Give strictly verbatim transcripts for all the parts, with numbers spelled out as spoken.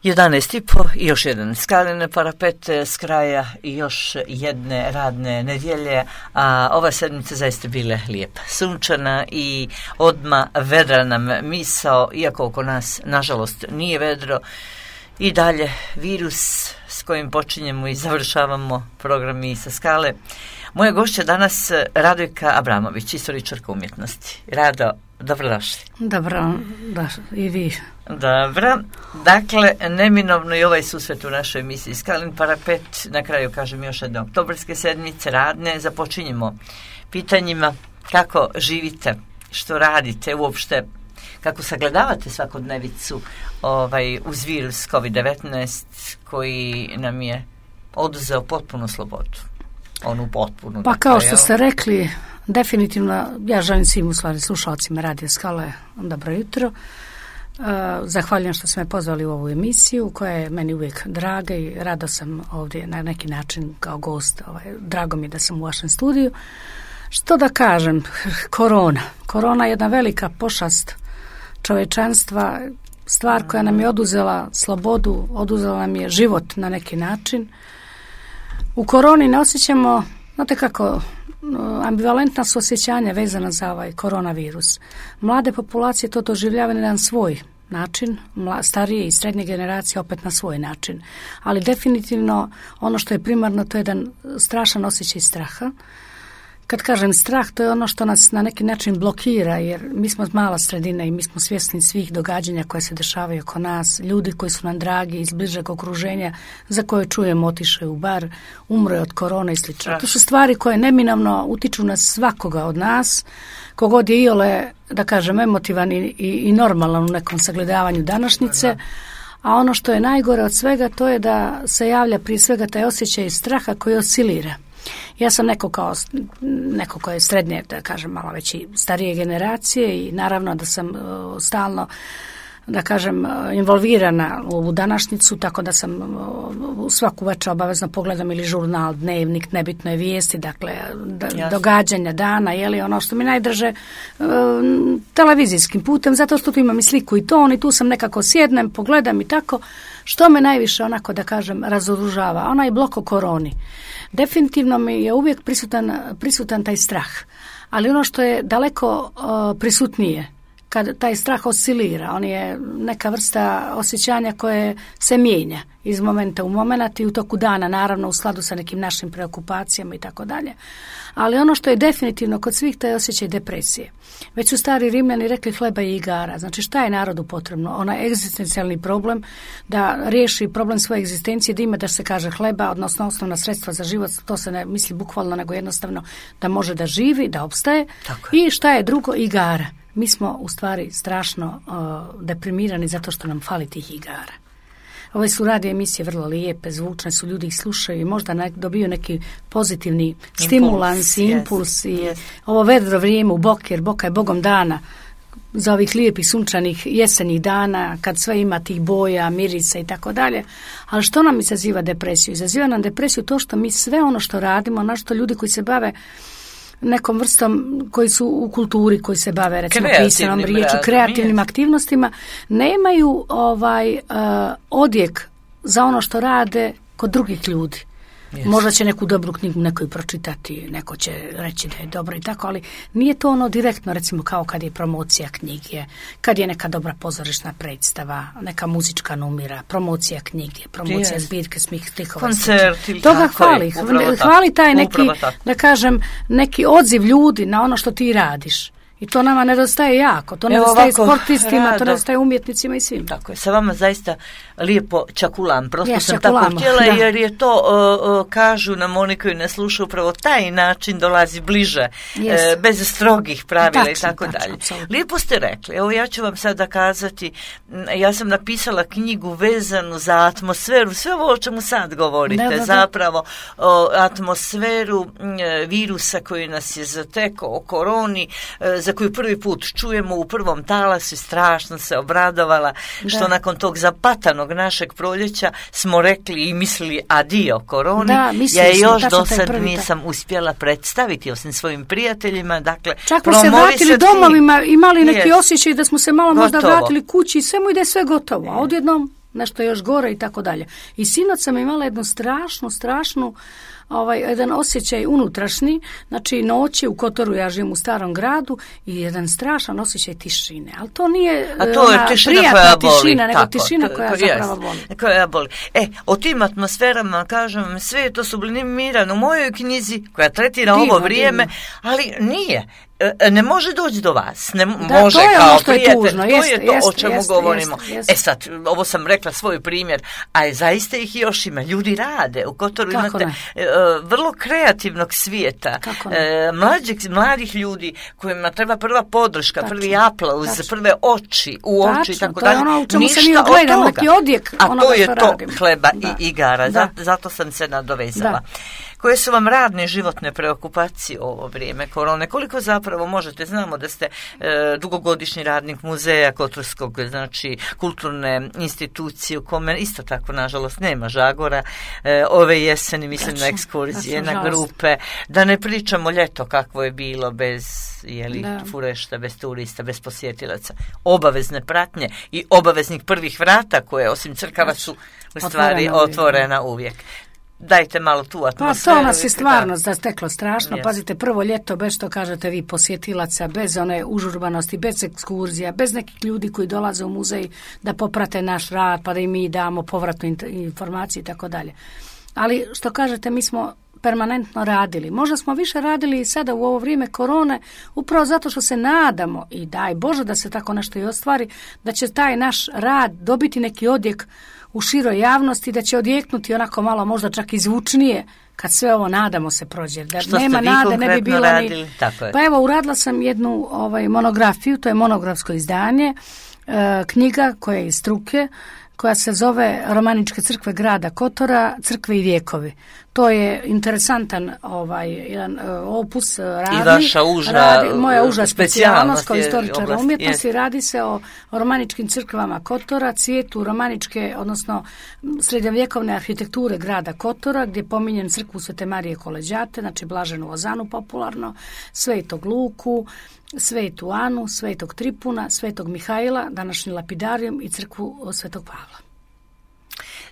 jedanaest i po i još jedan Skalin parapet s kraja i još jedne radne nedjelje, a ova sedmica zaista bila lijepa, sunčana i odma vedra nam misao, iako oko nas nažalost nije vedro. I dalje virus s kojim počinjemo i završavamo program i sa Skale. Moja gošća danas Radojka Abramović, istoričarka umjetnosti. Rado, dobrodošli. Dobro, da, i vi. Dobro, dakle, neminovno i ovaj susret u našoj emisiji Skalin parapet, na kraju kažem još jedne oktobarske sedmice, radne, započinjemo pitanjima kako živite, što radite uopšte, kako sagledavate svakodnevicu ovaj, uz virus kovid devetnaest koji nam je oduzeo potpunu slobodu. Onu potpunu. Pa kao što ste rekli, definitivno, ja želim svim u stvari slušalcima Radio Skale dobro jutro. Uh, zahvaljujem što ste me pozvali u ovu emisiju koja je meni uvijek draga i rado sam ovdje na neki način kao gost. Ovaj, drago mi je da sam u vašem studiju. Što da kažem, korona. Korona je jedna velika pošast čovječanstva, stvar koja nam je oduzela slobodu, oduzela nam je život na neki način. U koroni ne osjećamo, znate kako, ambivalentna su osjećanja vezana za ovaj koronavirus. Mlade populacije to doživljavaju na jedan svoj način, starije i srednje generacije opet na svoj način. Ali definitivno ono što je primarno to je jedan strašan osjećaj straha. Kad kažem strah, to je ono što nas na neki način blokira, jer mi smo mala sredina i mi smo svjesni svih događanja koje se dešavaju oko nas, ljudi koji su nam dragi iz bližeg okruženja, za koje čujemo otišao u bar, umro je od korone i slično. To su stvari koje neminovno utiču na svakoga od nas, kogod je iole, da kažem, emotivan i, i, i normalan u nekom sagledavanju današnjice. A ono što je najgore od svega, to je da se javlja prije svega taj osjećaj straha koji oscilira. Ja sam neko kao neko ko je srednje, da kažem, malo već i starije generacije i naravno da sam uh, stalno, da kažem, involvirana u ovu današnjicu, tako da sam uh, svaku večer obavezno pogledam ili žurnal, dnevnik, nebitno je vijesti, dakle da, događanja dana, jeli ono što mi najdraže uh, televizijskim putem, zato što tu imam i sliku i ton i tu sam nekako sjednem, pogledam i tako, što me najviše onako, da kažem, razoružava, onaj blok o koroni. Definitivno mi je uvijek prisutan, prisutan taj strah, ali ono što je daleko uh, prisutnije, kad taj strah oscilira, on je neka vrsta osjećanja koje se mijenja iz momenta u moment i u toku dana, naravno u skladu sa nekim našim preokupacijama i tako dalje. Ali ono što je definitivno kod svih, to je osjećaj depresije. Već su stari Rimljani rekli hleba i igara. Znači šta je narodu potrebno? Onaj egzistencijalni problem da riješi problem svoje egzistencije, da ima da se kaže hleba, odnosno osnovna sredstva za život, to se ne misli bukvalno, nego jednostavno da može da živi, da opstaje. I šta je drugo? Igara. Mi smo u stvari strašno uh, deprimirani zato što nam fali tih igara. Ove su radio emisije vrlo lijepe, zvučne su, ljudi ih slušaju i možda ne, dobiju neki pozitivni impuls, stimulans i impuls. Yes, i yes. Ovo vedro vrijeme u Boki, jer Boka je bogom dana za ovih lijepih sunčanih jesenjih dana, kad sve ima tih boja, mirisa i tako dalje. Ali što nam izaziva depresiju? Izaziva nam depresiju to što mi sve ono što radimo, ono što ljudi koji se bave nekom vrstom koji su u kulturi, koji se bave recimo pisanom riječu, kreativnim aktivnostima, nemaju ovaj uh, odjek za ono što rade kod drugih ljudi. Yes. Možda će neku dobru knjigu neko i pročitati, neko će reći da je dobro i tako, ali nije to ono direktno, recimo kao kad je promocija knjige, kad je neka dobra pozorišna predstava, neka muzička numira, promocija knjige, promocija yes. zbirke smih stihova. Koncerti. Toga hvali. Hvali taj neki, da kažem, neki odziv ljudi na ono što ti radiš. I to nama nedostaje jako, to nedostaje sportistima, rado. To nedostaje umjetnicima i svim. Tako je, sa vama zaista lijepo čakulam, prosto ja, sam čakulamo, tako htjela, da. Jer je to, uh, uh, kažu nam oni koji ne slušaju, upravo taj način dolazi bliže, yes. uh, bez strogih pravila tačno, i tako tačno, dalje. Absolutno. Lijepo ste rekli, evo ja ću vam sada kazati, ja sam napisala knjigu vezanu za atmosferu, sve ovo o čemu sad govorite, da, da, da. zapravo o atmosferu uh, virusa koji nas je zatekao, o koroni, uh, za koju prvi put čujemo u prvom talasu, strašno se obradovala što da. Nakon tog zapatanog našeg proljeća smo rekli i mislili adio koroni. Da, ja je još do sad nisam da. uspjela predstaviti osim svojim prijateljima. Dakle, čak smo se vratili domovima, imali neki yes. osjećaj da smo se malo gotovo. Možda vratili kući i sve mu ide sve gotovo, a odjednom nešto još gore i tako dalje. I sinoć sam imala jednu strašnu, strašnu ovaj, jedan osjećaj unutrašnji, znači noći u Kotoru, ja živim u starom gradu, i jedan strašan osjećaj tišine. Ali to nije A to je ona, tišina prijatna koja boli, tišina, nego tako, tišina to, koja to, zapravo boli. Koja boli. E, o tim atmosferama, kažem, sve je to sublimirano u mojoj knjizi koja tretira divno, ovo vrijeme, divno. Ali nije. Ne može doći do vas, ne da, može to je kao ono što prijatelj, je tužno, to jeste, je to jeste, o čemu jeste, govorimo. Jeste, jeste. E sad, ovo sam rekla svoj primjer, a zaista ih još ima. Ljudi rade, u Kotoru Kako imate ne? uh, vrlo kreativnog svijeta, uh, mlađih, mladih ljudi kojima treba prva podrška, tačno, prvi aplauz, tačno, prve oči u tačno, oči i tako dalje. To je ono u čemu ništa se mi ogledamo, neki odjek a onoga to je što to radimo. Hleba Da. i igara, Da. zato, zato sam se nadovezala. Da. Koje su vam radne životne preokupacije u ovo vrijeme korone? Koliko zapravo možete, znamo da ste e, dugogodišnji radnik muzeja Kotorskog, znači kulturne institucije u kome isto tako, nažalost, nema žagora. E, ove jeseni, mislim, tačno, na ekskurzije, tačno, na grupe. Da ne pričamo ljeto kakvo je bilo bez jeli, furešta, bez turista, bez posjetilaca. Obavezne pratnje i obaveznih prvih vrata koje, osim crkava, su u stvari otvorena, otvorena uvijek. Dajte malo tu atmosferu. Pa to nas je stvarno zasteklo strašno. Yes. Pazite, prvo ljeto, bez što kažete vi posjetilaca, bez one užurbanosti, bez ekskurzija, bez nekih ljudi koji dolaze u muzej da poprate naš rad, pa da im mi damo povratnu informaciju i tako dalje. Ali što kažete, mi smo permanentno radili. Možda smo više radili i sada u ovo vrijeme korone, upravo zato što se nadamo, i daj Bože da se tako nešto i ostvari, da će taj naš rad dobiti neki odjek u široj javnosti, da će odjeknuti onako malo možda čak i zvučnije kad sve ovo, nadamo se, prođe. Da što nema nade, ne bi bilo radili? Ni... Tako je. Pa evo, uradila sam jednu ovaj, monografiju, to je monografsko izdanje, e, knjiga koja je iz struke, koja se zove Romaničke crkve grada Kotora, crkve i vijekovi. To je interesantan ovaj jedan opus radni. I vaša uža, radi, moja uža specijalnost kao istoričara umjetnosti. Radi se o, o romaničkim crkvama Kotora, cvijetu romaničke, odnosno srednjovjekovne arhitekture grada Kotora, gdje je pominjen crkvu Svete Marije Koleđate, znači Blaženu Ozanu popularno, Svetog Luku, Svetu Anu, Svetog Tripuna, Svetog Mihajla, današnji lapidarijum, i crkvu Svetog Pavla.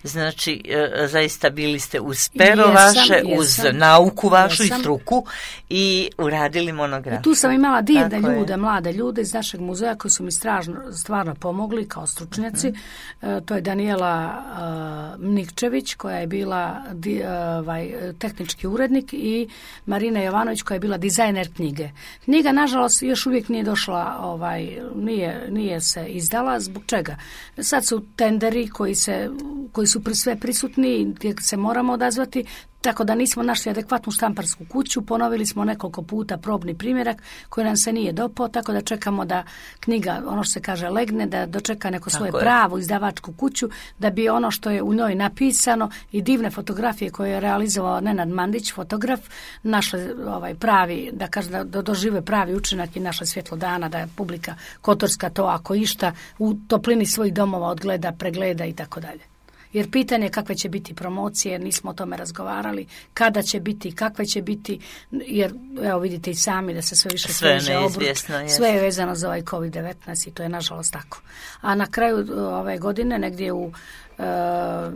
Znači, e, zaista bili ste uz pero jesam, vaše, jesam, uz nauku vašu jesam. I struku i uradili monografiju. I tu sam imala divne tako ljude, je. Mlade ljude iz našeg muzeja koji su mi stražno, stvarno pomogli kao stručnjaci. Mm. E, to je Daniela uh, Nikčević, koja je bila di, uh, ovaj, tehnički urednik, i Marina Jovanović, koja je bila dizajner knjige. Knjiga, nažalost, još uvijek nije došla, ovaj, nije, nije se izdala. Zbog čega? Sad su tenderi koji se koji su pri sve prisutni, gdje se moramo odazvati, tako da nismo našli adekvatnu štamparsku kuću. Ponovili smo nekoliko puta probni primjerak koji nam se nije dopao, tako da čekamo da knjiga, ono što se kaže, legne, da dočeka neko svoje pravu izdavačku kuću, da bi ono što je u njoj napisano i divne fotografije koje je realizovao Nenad Mandić, fotograf, našle ovaj pravi, da kaže da dožive pravi učinak i naša svjetlo dana, da je publika kotorska to, ako išta, u toplini svojih domova odgleda, pregleda i tako dalje. Jer pitanje kakve će biti promocije, nismo o tome razgovarali, kada će biti, kakve će biti, jer evo vidite i sami da se sve više sveže obrut, sve je vezano za ovaj kovid devetnaest i to je nažalost tako. A na kraju ove godine, negdje u e, e,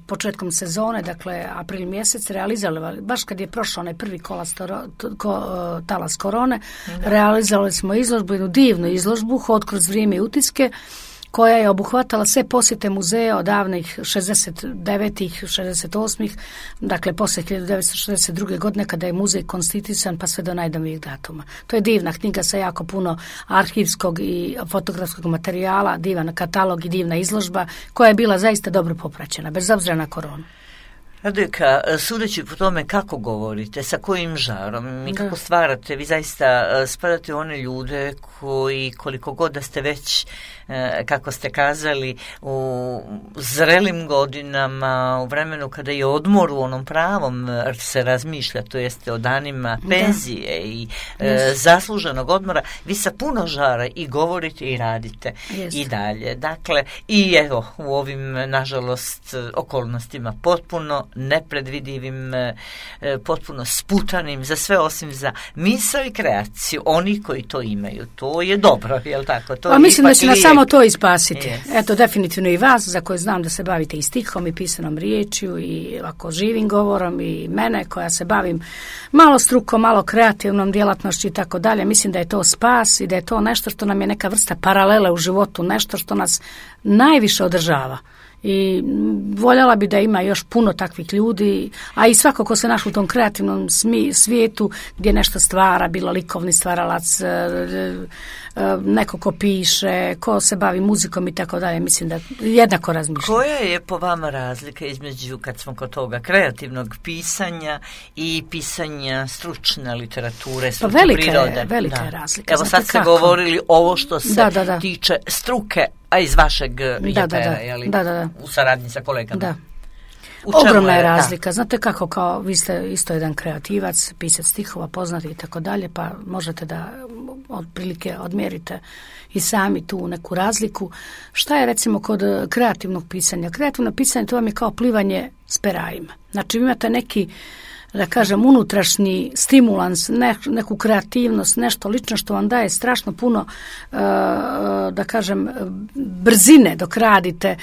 početkom sezone, dakle april mjesec, realizovali, baš kad je prošao onaj prvi kolastoro, ko, talas korone, da. Realizovali smo izložbu, jednu divnu izložbu, Hod kroz vrijeme i utiske, koja je obuhvatala sve posjete muzeja od davnih šezdeset devetih, šezdeset osmih, dakle poslije hiljadu devetsto šezdeset druge. godine kada je muzej konstituisan pa sve do najnovijih datuma. To je divna knjiga sa jako puno arhivskog i fotografskog materijala, divan katalog i divna izložba koja je bila zaista dobro popraćena, bez obzira na koronu. Radojka, sudeći po tome kako govorite, sa kojim žarom i kako da. Stvarate, vi zaista spadate u one ljude koji, koliko god da ste već, kako ste kazali, u zrelim godinama, u vremenu kada je odmor u onom pravom se razmišlja, to jeste o danima penzije da. I yes. zasluženog odmora, vi sa puno žara i govorite i radite yes. i dalje. Dakle, i evo, u ovim, nažalost, okolnostima potpuno nepredvidivim, potpuno sputanim za sve osim za misao i kreaciju. Oni koji to imaju, to je dobro, je li tako? To pa mislim da će nas samo to ispasiti. Yes. Eto, definitivno i vas, za koje znam da se bavite i stihom i pisanom riječju i ovako živim govorom, i mene koja se bavim malo strukom, malo kreativnom djelatnošću i tako dalje. Mislim da je to spas i da je to nešto što nam je neka vrsta paralele u životu, nešto što nas najviše održava. I voljela bi da ima još puno takvih ljudi, a i svako ko se naš u tom kreativnom smi, svijetu gdje nešto stvara, bilo likovni stvaralac, neko ko piše, ko se bavi muzikom i tako dalje, mislim da jednako razmišljam. Koja je po vama razlika između, kad smo kod toga, kreativnog pisanja i pisanja stručne literature, stručne pa velike, prirode? Velika da. je razlika. Evo sad ste govorili ovo što se da, da, da. tiče struke, a iz vašeg da, jepera, da, da. Jeli, da, da, da. u saradnji sa kolegama. Da. Ogromna je razlika. Da. Znate kako, kao vi ste isto jedan kreativac, pisac stihova, poznati i tako dalje, pa možete da otprilike odmjerite i sami tu neku razliku. Šta je recimo kod kreativnog pisanja? Kreativno pisanje to vam je kao plivanje s perajima. Znači vi imate neki, da kažem, unutrašnji stimulans, ne, neku kreativnost, nešto lično što vam daje strašno puno, uh, da kažem, brzine dok radite.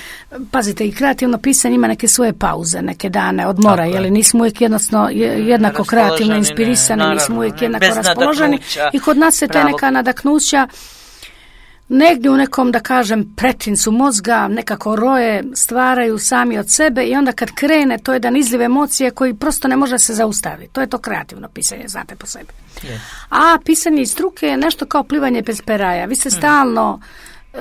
Pazite, i kreativno pisanje ima neke svoje pauze, neke dane odmora, jer nismo uvijek jednostavno jednako kreativno inspirisani, ne, naravno, nismo uvijek jednako raspoloženi i kod nas se te neka nadaknuća negdje u nekom, da kažem, pretincu mozga nekako roje, stvaraju sami od sebe i onda kad krene, to je jedan izliv emocije koji prosto ne može se zaustaviti. To je to kreativno pisanje, znate po sebi. Yes. A pisanje iz struke je nešto kao plivanje bez peraja. Vi se hmm. stalno e,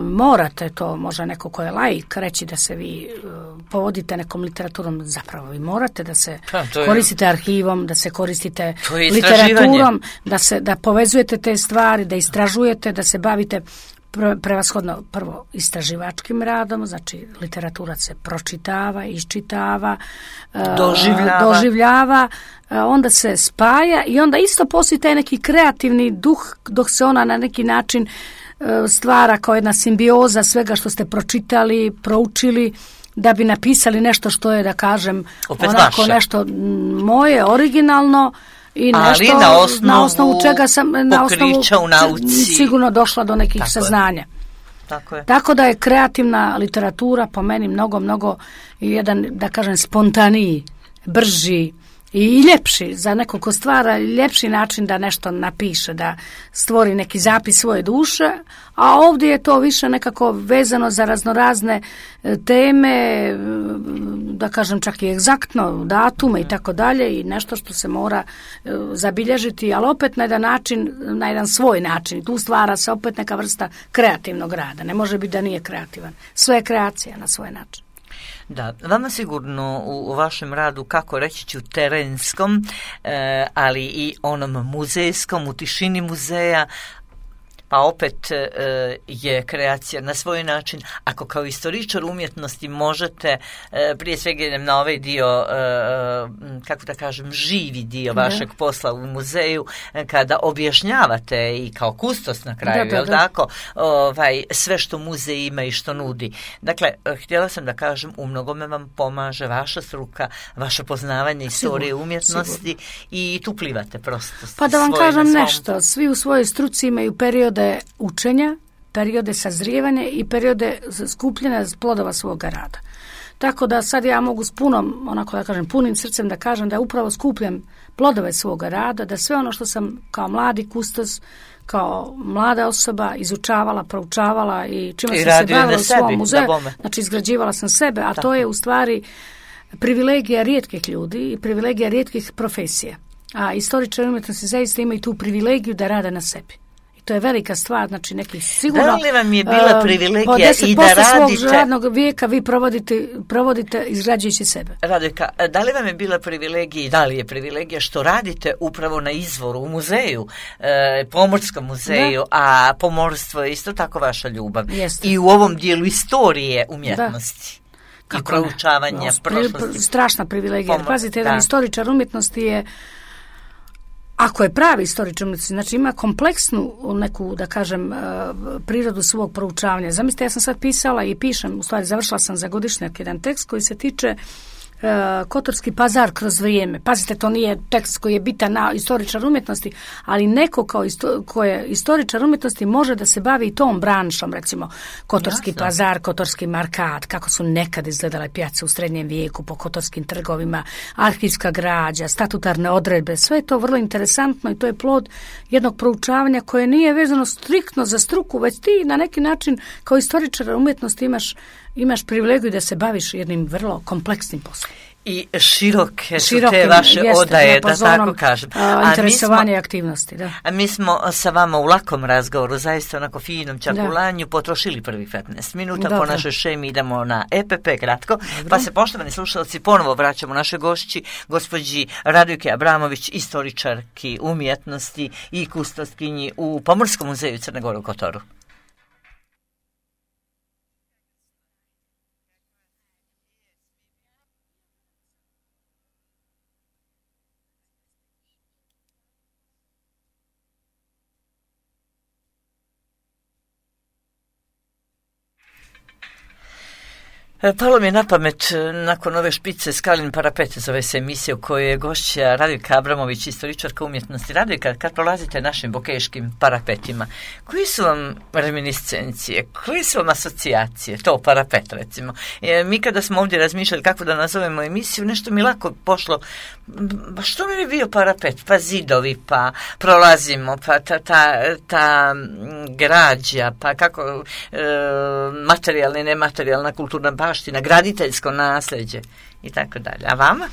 morate, to može neko ko je laik reći da se vi e, povodite nekom literaturom, zapravo vi morate da se ha, je, koristite arhivom, da se koristite literaturom, da se da povezujete te stvari, da istražujete, da se bavite pre, prevashodno prvo istraživačkim radom, znači literatura se pročitava, iščitava, doživljava, doživljava onda se spaja i onda isto postoji taj neki kreativni duh dok se ona na neki način stvara kao jedna simbioza svega što ste pročitali, proučili, da bi napisali nešto što je, da kažem, opet onako vaše. Nešto moje, originalno i nešto ali na osnovu, na osnovu čega sam na osnovu u nauci sigurno došla do nekih Tako saznanja. Je. Tako je. Tako da je kreativna literatura po meni mnogo, mnogo jedan, da kažem, spontaniji, brži i ljepši, za nekog ko stvara ljepši način da nešto napiše, da stvori neki zapis svoje duše, a ovdje je to više nekako vezano za raznorazne teme, da kažem čak i egzaktno datume i tako dalje i nešto što se mora zabilježiti, ali opet na jedan način, na jedan svoj način. Tu stvara se opet neka vrsta kreativnog rada. Ne može biti da nije kreativan. Sve je kreacija na svoj način. Da, vama sigurno u, u vašem radu, kako reći ću, terenskom, e, ali i onom muzejskom, u tišini muzeja, pa opet e, je kreacija na svoj način. Ako kao istoričar umjetnosti možete, e, prije svega idem na ovaj dio, e, kako da kažem, živi dio vašeg da. posla u muzeju, e, kada objašnjavate i kao kustos na kraju, da, da, da. jel tako, ovaj, sve što muzej ima i što nudi. Dakle, htjela sam da kažem, u mnogome vam pomaže vaša struka, vaše poznavanje istorije sigur, umjetnosti sigur. I tu plivate prosto. Pa da vam kažem nešto, svi u svojoj struci imaju periode učenja, periode sazrijevanja i periode skupljanja plodova svoga rada. Tako da sad ja mogu s punom, onako da kažem, punim srcem da kažem da upravo skupljam plodove svoga rada, da sve ono što sam kao mladi kustos, kao mlada osoba izučavala, proučavala i čime I sam se bavila u svom muzeju, znači izgrađivala sam sebe, a Tako. to je u stvari privilegija rijetkih ljudi i privilegija rijetkih profesija. A istoričari umjetnosti zaista imaju tu privilegiju da rade na sebi. To je velika stvar, znači neki sigurno... Da li vam je bila privilegija uh, i da radite... svog radnog vijeka vi provodite, provodite izgrađujući sebe. Radojka, da li vam je bila privilegija i da li je privilegija što radite upravo na izvoru u muzeju, e, Pomorskom muzeju, da. a pomorstvo je isto tako vaša ljubav. Jeste. I u ovom dijelu istorije umjetnosti. Da. I proučavanja no, prošlosti. Strašna privilegija. Pomor, Pazite, jedan da. istoričar umjetnosti je ako je pravi istoričar umjetnosti, znači ima kompleksnu neku, da kažem, prirodu svog proučavanja. Zamislite, ja sam sad pisala i pišem, u stvari završila sam za godišnjak jedan tekst koji se tiče Kotorski pazar kroz vrijeme. Pazite, to nije tekst koji je bitan na istoričar umjetnosti, ali neko kao isto, ko je istoričar umjetnosti može da se bavi i tom branšom, recimo Kotorski Jasno. pazar, Kotorski markat, kako su nekad izgledale pijace u srednjem vijeku po kotorskim trgovima, arhivska građa, statutarne odredbe, sve je to vrlo interesantno i to je plod jednog proučavanja koje nije vezano striktno za struku, već ti na neki način kao istoričar umjetnosti imaš imaš privilegiju da se baviš jednim vrlo kompleksnim poslom. I široke su te vaše jeste, odaje, da tako kažem. A, interesovanje i aktivnosti, da. A mi smo sa vama u lakom razgovoru, zaista onako finom čakulanju, potrošili prvi petnaest minuta. Dobro. Po našoj šemi idemo na E P P kratko, Dobro. Pa se poštovani slušalci ponovo vraćamo našoj gošći, gospođi Radojki Abramović, istoričarki umjetnosti i kustoskinji u Pomorskom muzeju Crne Gore u Kotoru. Palo mi je na pamet, nakon ove špice Skalin parapet, zove se emisija u kojoj je gošća Radojka Abramović, istoričarka umjetnosti. Radojka, kad prolazite našim bokeškim parapetima, koji su vam reminiscencije, koji su vam asocijacije, to parapet recimo? E, mi kada smo ovdje razmišljali kako da nazovemo emisiju, nešto mi lako pošlo, ba što mi je bio parapet, pa zidovi, pa prolazimo, pa ta, ta, ta građa, pa kako e, materijalna i nematerijalna kulturna baština, graditeljsko nasljeđe i tako dalje. A vama?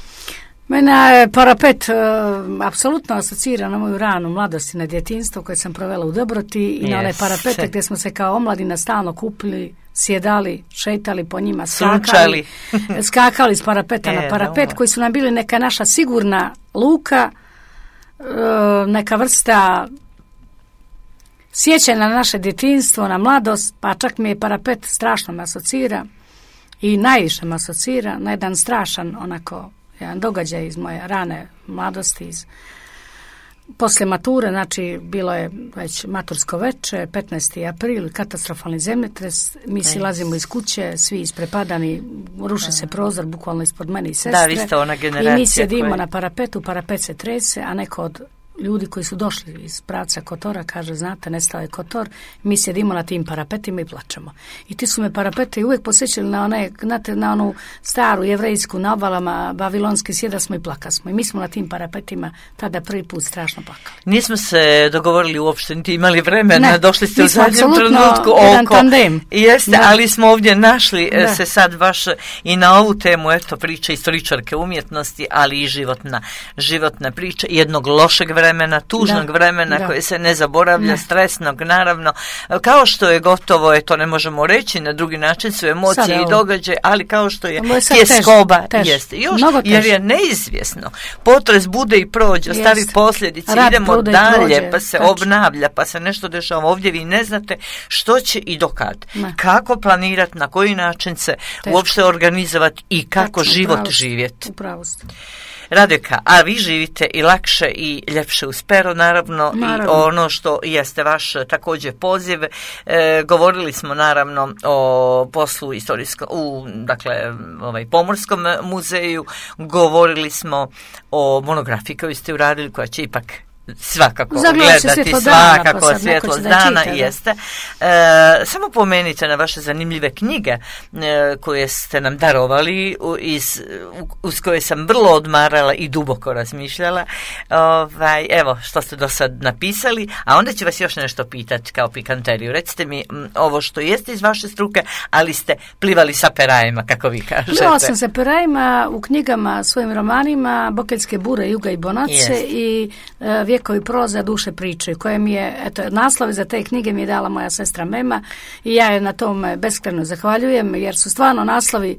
Mene je parapet uh, apsolutno asocira na moju ranu mladost i na djetinjstvo koje sam provela u Dobroti i yes. na one parapete gdje smo se kao omladina stalno kupili, sjedali, šetali po njima, skakali, skakali s parapeta e, na parapet dobro. Koji su nam bili neka naša sigurna luka, uh, neka vrsta sjećanja na naše djetinjstvo, na mladost, pa čak mi je parapet strašno me asocira i najviše me asocira na jedan strašan onako jedan događaj iz moje rane mladosti, iz poslije mature, znači bilo je već matursko veče, petnaesti april, katastrofalni zemljotres, mi silazimo iz kuće, svi isprepadani, ruši se prozor bukvalno ispod mene i sestre. Da, vi ste ona generacija. I mi sjedimo koje... na parapetu, parapet se trese, a neko od ljudi koji su došli iz pravca Kotora kaže, znate, nestao je Kotor, mi sjedimo na tim parapetima i plačemo. I ti su me parapete uvijek posjećali na, one, znate, na onu staru jevrejsku, na obalama bavilonske, sjeda smo i plakasmo. I mi smo na tim parapetima tada prvi put strašno plakali. Nismo se dogovorili uopšte, niti imali vremena, ne, došli ste u zadnjem trenutku oko. Tandem. Jeste, da. Ali smo ovdje našli da. se sad baš i na ovu temu, eto, priča istoričarke umjetnosti, ali i životna, životna priča jednog lošeg vremena, vremena, tužnog da, vremena da. koje se ne zaboravlja, ne. stresnog naravno, kao što je gotovo, je to ne možemo reći, na drugi način su emocije Sada, i događaje, ali kao što je tjeskoba, jeste. Još, jer je neizvjesno. Potres bude i prođe, ostavi posljedice, Rad idemo dalje, prođe, pa se tač. obnavlja, pa se nešto dešava. Ovdje vi ne znate što će i dokad. Ne. Kako planirati, na koji način se Teško. uopšte organizovati i kako Tačno, život upravo, živjeti. Upravo ste. Radojka, a vi živite i lakše i ljepše uz pero, naravno, naravno. i ono što jeste vaš također poziv. E, govorili smo naravno o poslu istorijskom, u dakle, ovaj, Pomorskom muzeju, govorili smo o monografiji koju ste uradili, koja će ipak svakako Zagledati, gledati, svakako dana, svjetlost dana čita, jeste. E, samo pomenite na vaše zanimljive knjige e, koje ste nam darovali, iz, uz koje sam vrlo odmarala i duboko razmišljala. Ovaj, evo što ste do sad napisali, a onda ću vas još nešto pitati kao pikanteriju. Recite mi m, ovo što jeste iz vaše struke, ali ste plivali sa perajima, kako vi kažete. Plivala sam sa perajima u knjigama, svojim romanima, Bokeljske bure, Juga i Bonace yes. i e, Vjekovi prolaze, duše priče, koje mi je, eto, naslove za te knjige mi je dala moja sestra Mema i ja je na tome beskrajno zahvaljujem, jer su stvarno naslovi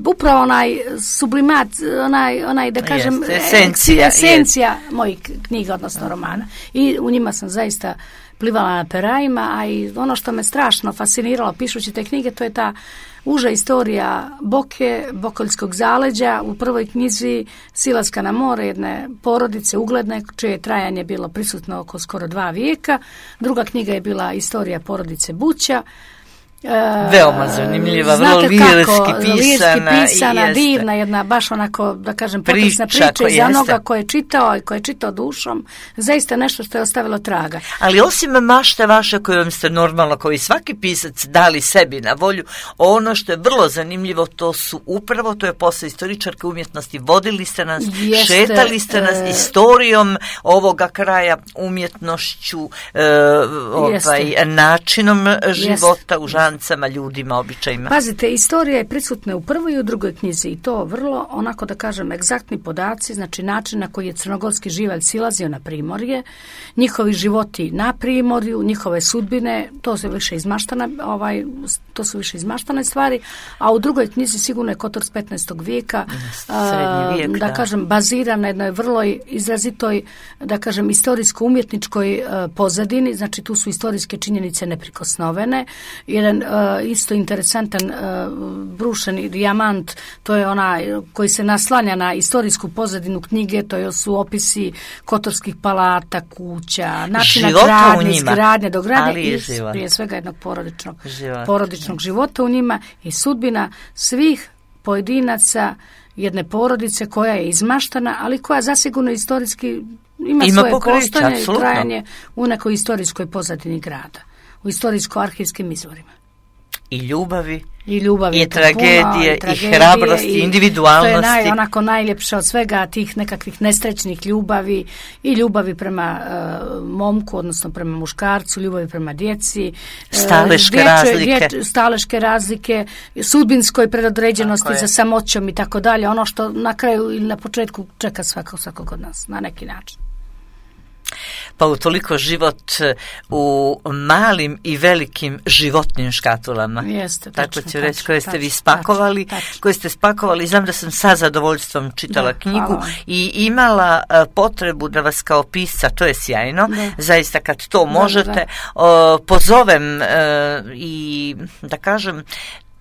upravo onaj sublimat, onaj, onaj da kažem, Jeste, esencija, esencija mojih knjiga, odnosno romana. I u njima sam zaista plivala na perajima, a i ono što me strašno fasciniralo pišući te knjige, to je ta uža istorija Boke, Bokoljskog zaleđa, u prvoj knjizi Silaska na more, jedne porodice ugledne, čije je trajanje bilo prisutno oko skoro dva vijeka. Druga knjiga je bila istorija porodice Buća Uh, Veoma zanimljiva, vrlo lirski pisana. Lirski pisana, divna jedna, baš onako, da kažem, potična priča, priča za onoga ko je čitao i ko je čitao dušom, zaista nešto što je ostavilo traga. Ali osim mašte vaše kojom ste normalno, koji svaki pisac dali sebi na volju, ono što je vrlo zanimljivo, to su upravo, to je posao istoričarke umjetnosti, vodili ste nas, Jeste, šetali ste nas e... istorijom ovoga kraja, umjetnošću, e, ovaj, načinom života Jeste. u žanru, ljudima, običajima. Pazite, istorija je prisutna u prvoj i u drugoj knjizi i to vrlo, onako da kažem, egzaktni podaci, znači način na koji je crnogorski živalj silazio na primorje, njihovi životi na primorju, njihove sudbine, to su više izmaštane, ovaj, to su više izmaštane stvari, a u drugoj knjizi sigurno je Kotor s petnaestog vijeka, Srednji vijek, da, da kažem, baziran na jednoj vrlo izrazitoj, da kažem, istorijsko-umjetničkoj uh, pozadini, znači tu su istorijske činjenice neprikosnovene, jedan Uh, isto interesantan uh, brušeni dijamant, to je onaj koji se naslanja na istorijsku pozadinu knjige, to su opisi kotorskih palata, kuća, načina gradnje, izgradnje, dogradnje i prije svega jednog porodičnog, porodičnog života u njima i sudbina svih pojedinaca jedne porodice koja je izmaštana, ali koja zasigurno istorijski ima, ima svoje postojanje i trajanje u nekoj istorijskoj pozadini grada, u istorijsko-arhivskim izvorima. I ljubavi, i, ljubavi i, tragedije, puno, i tragedije, i hrabrosti, i individualnosti. To je naj, onako najljepše od svega tih nekakvih nesrećnih ljubavi i ljubavi prema uh, momku, odnosno prema muškarcu, ljubavi prema djeci. Staleške uh, dječje, razlike. Dječ, staleške razlike, sudbinskoj predodređenosti za samoćom i tako dalje. Ono što na kraju ili na početku čeka svakog, svakog od nas, na neki način. Pa utoliko život u malim i velikim životnim škatulama. Jeste, tako tačno, ću reći, tačno, koje ste tačno, vi spakovali, tačno, tačno. koje ste spakovali. Znam da sam sa zadovoljstvom čitala da, knjigu hvala. I imala uh, potrebu da vas kao pisca, to je sjajno, da. zaista kad to možete, da, da. Uh, pozovem uh, i da kažem,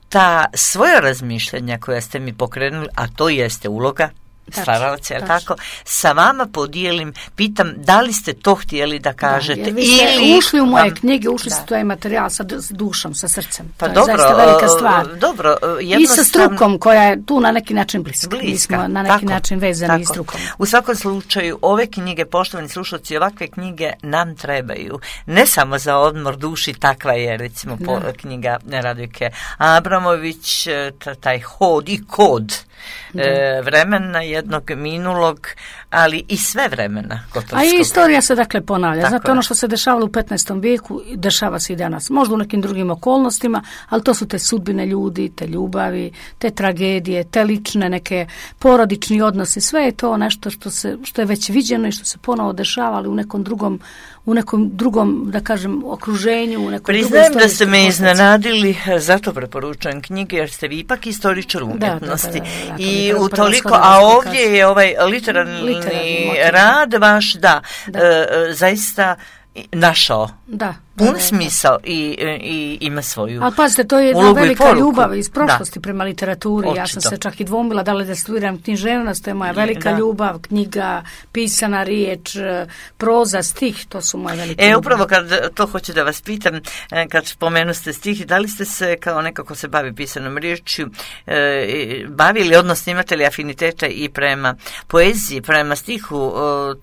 ta svoja razmišljenja koja ste mi pokrenuli, a to jeste uloga stvaralaca, je tako? Sa vama podijelim, pitam da li ste to htjeli da kažete. Da, vi ste ili ušli u moje vam, knjige, ušli ste u taj materijal sa dušom, sa srcem. Pa to dobro, je zaista velika stvar. Dobro, I sa strukom koja je tu na neki način bliska. bliska. Mi smo na neki tako, način vezani i strukom. U svakom slučaju, ove knjige, poštovani slušalci, ovakve knjige nam trebaju. Ne samo za odmor duši, takva je recimo po, knjiga Radojke Abramović, taj hod i kod e, vremena jednog minulog, ali i sve vremena kotorskog. A i istorija se dakle ponavlja. Tako Znate, je. ono što se dešavalo u petnaestom vijeku, dešava se i danas. Možda u nekim drugim okolnostima, ali to su te sudbine ljudi, te ljubavi, te tragedije, te lične neke porodični odnosi. Sve je to nešto što, se, što je već viđeno i što se ponovo dešava, ali u nekom drugom, u nekom drugom, da kažem, okruženju, u nekom Priznajem da ste me iznenadili, zato preporučujem knjige, jer ste vi ipak istoričar umjetnosti. Da, da, da, da, da, I utoliko, a ovdje je ovaj literarni, literarni rad vaš, da, da. E, zaista našao da, pun da, da, smisao i, i ima svoju. Ali pazite, to je jedna velika ljubav iz prošlosti da. prema literaturi. Očito. Ja sam se čak i dvomila da li da studiram književnost, to je moja velika da. ljubav, knjiga, pisana riječ, proza, stih, to su moje velike E, ljubav. upravo kad to hoću da vas pitam, kad spomenu ste stih, da li ste se kao nekako se bavi pisanom riječju, e, bavili, odnosno imate li afiniteta i prema poeziji, prema stihu,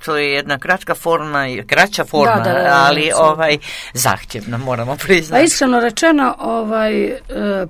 to je jedna kratka forma, kraća forma, da, da, da, ali da, ovaj zahtjevno, moramo priznati. A iskreno rečeno, ovaj, e,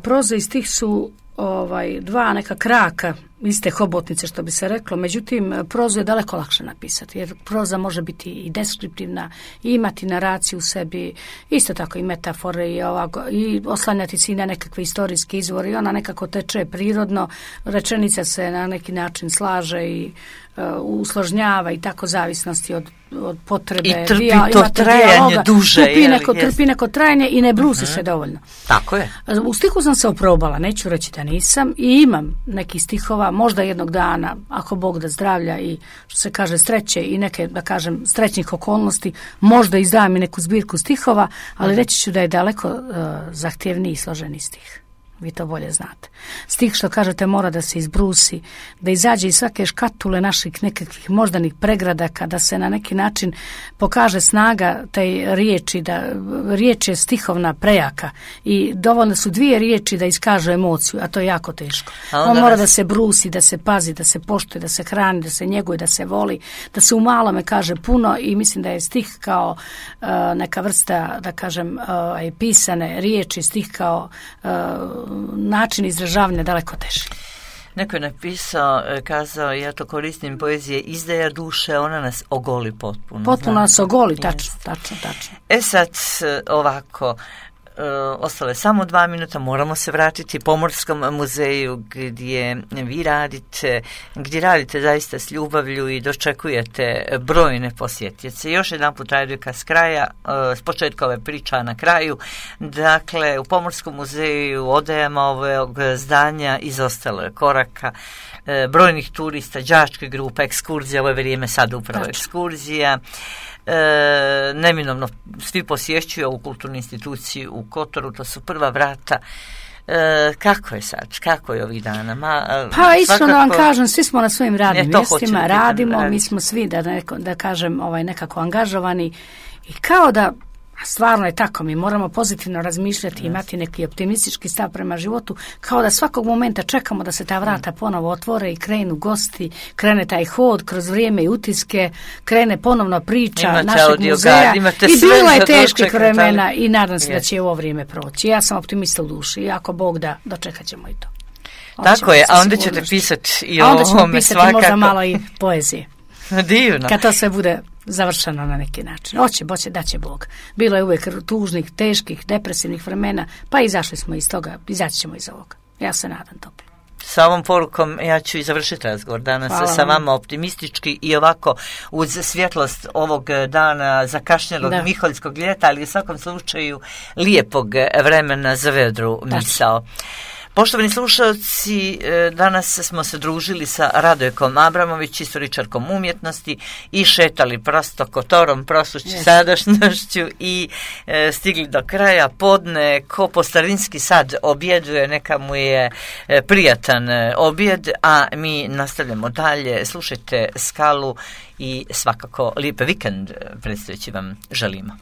proza i stih su ovaj, dva neka kraka iste hobotnice, što bi se reklo. Međutim, prozu je daleko lakše napisati, jer proza može biti i deskriptivna, i imati naraciju u sebi, isto tako i metafore, i, ovako, i oslanjati se i na nekakve istorijske izvore, i ona nekako teče prirodno, rečenica se na neki način slaže i uh, usložnjava i tako zavisnosti od, od potrebe. I trpi Dija, to trajanje dijaloga, duže. Trpi neko, trpi neko trajanje i ne brusi uh-huh. se dovoljno. Tako je. U stihu sam se oprobala, neću reći da nisam, i imam neki stihova, možda jednog dana, ako Bog da zdravlja i, što se kaže, sreće i neke, da kažem, srećnih okolnosti, možda izdam i neku zbirku stihova, ali reći ću da je daleko uh, zahtjevniji i složeni stih. vi to bolje znate. Stih što kažete mora da se izbrusi, da izađe iz svake škatule naših nekakvih moždanih pregradaka, da se na neki način pokaže snaga tej riječi, da riječ je stihovna prejaka i dovoljno su dvije riječi da iskažu emociju, a to je jako teško. On mora da se brusi, da se pazi, da se poštuje, da se hrani, da se njeguje, da se voli, da se u malome kaže puno i mislim da je stih kao uh, neka vrsta, da kažem, uh, pisane riječi, stih kao uh, način izražavanja daleko teži. Neko je napisao, kazao, ja to koristim, poezije izdaja duše, ona nas ogoli potpuno. Potpuno znam. Nas ogoli, tačno, tačno, tačno. E sad, ovako, Uh, ostale samo dva minuta, moramo se vratiti Pomorskom muzeju gdje vi radite, gdje radite zaista s ljubavlju i dočekujete brojne posjetioce. Još jedan put Radujka s kraja, uh, s početka ove priča na kraju. Dakle, u Pomorskom muzeju odajama ovog zdanja izostalo je koraka uh, brojnih turista, đačke grupe, ekskurzija, ovo je vrijeme sad upravo Tačno. ekskurzija. E, neminovno svi posjećuju ovu kulturnu instituciju u Kotoru, to su prva vrata. E, kako je sad, kako je ovih dana? Ma, pa iskreno vam kažem, svi smo na svojim radnim mjestima, radimo, mi smo svi da, neko, da kažem ovaj, nekako angažovani i kao da stvarno je tako, mi moramo pozitivno razmišljati i imati neki optimistički stav prema životu, kao da svakog momenta čekamo da se ta vrata ponovo otvore i krenu gosti, krene taj hod kroz vrijeme i utiske, krene ponovno priča imate našeg muzeja i bilo je teških vremena i nadam se yes. da će ovo vrijeme proći. Ja sam optimista u duši i ako Bog da, dočekat ćemo i to. Onda tako je, a onda ćete pisati i o ovome svakako. Onda ćemo pisati možda malo i poezije. Divno. Kad to sve bude završeno na neki način. Oće, boće, da će Bog. Bilo je uvijek tužnih, teških, depresivnih vremena, pa izašli smo iz toga, izaći ćemo iz ovoga. Ja se nadam toplo. Sa ovom porukom ja ću i završiti razgovor danas Hvala sa vama optimistički i ovako uz svjetlost ovog dana zakašnjelog da. miholjskog ljeta, ali u svakom slučaju lijepog vremena za vedru misao. Poštovani slušalci, danas smo se družili sa Radojkom Abramović, istoričarkom umjetnosti i šetali prosto Kotorom, prosući yes. sadašnjošću i e, stigli do kraja podne. Ko po starinski sad objeduje, neka mu je e, prijatan objed, a mi nastavljamo dalje. Slušajte Skalu i svakako lijep vikend predstojeći vam želimo.